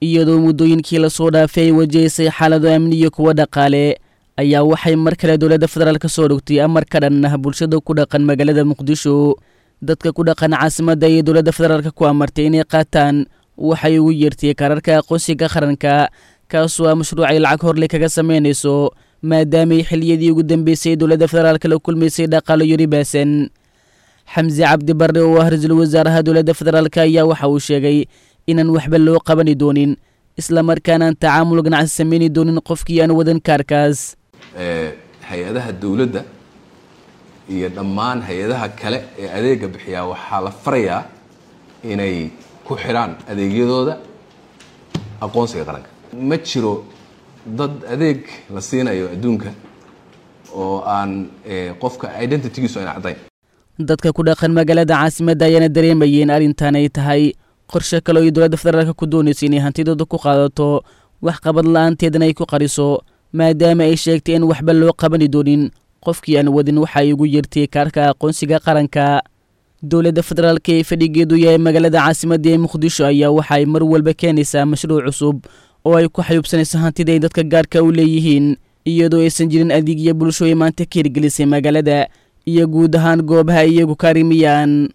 Iyadoo muddooyinkii lasoo dhaafay ay wajahaysay xaalado amni iyo kuwa dhaqaale, ayaa waxay mar kale dowladda federaalk soo dhogtay amar ka dhan ah bulshada ku dhaqan magaalada Muqdisho. Dadka ku dhaqan caasimadda ayay dowladda federaalk ku amartay inay qaataan waxay ugu yeertay kaararka aqoonsiga qaranka, kaasoo ah mashruucay lacag horle kaga samaynayso, maadaamay xilliyadii ugu dambeysay dowladda federaalk la kulmaysay dhaqaalo yari baasan. Xamse Cabdi Barre oo ah ra-iisul wasaaraha dowladda federaalk ayaa waxa uu sheegay inaan waxba loo qabani doonin, islamarkaanaan tacaamul ganacsi sameyni doonin qofkii aan wadan kaarkaas. Hay-adaha dowladda iyo dhammaan hay-adaha kale ee adeega bixiyaa waxaa la farayaa inay ku xidhaan adeegyadooda aqoonsiga qaranka. Ma jiro dad adeeg la siinayo adduunka oo aan qofka identitygiisu ayna caddayn. Dadka ku dhaqan magaalada caasimadda ayaana dareemayeen arrintan ay tahay qorshe kale oo ay dowladda federaalk ku doonaysa inay hantidooda ku qaadato, wax qabad la-aanteedana ay ku qariso, maadaama ay sheegtay in waxba loo qabani doonin qofkii aan wadin waxa ay ugu yeertay kaarka aqoonsiga qaranka. Dowladda federaalk ee fadhigeedu yahay magaalada caasimadda ee Muqdisho ayaa waxa ay mar walba keenaysaa mashruuc cusub oo ay ku xayuubsanayso hantida ay dadka gaarka u leeyihiin, iyadoo aysan jirin adeegya bulsho ay maanta ka hirgelisay magaalada iyo guud ahaan goobaha iyagu ka arrimiyaan.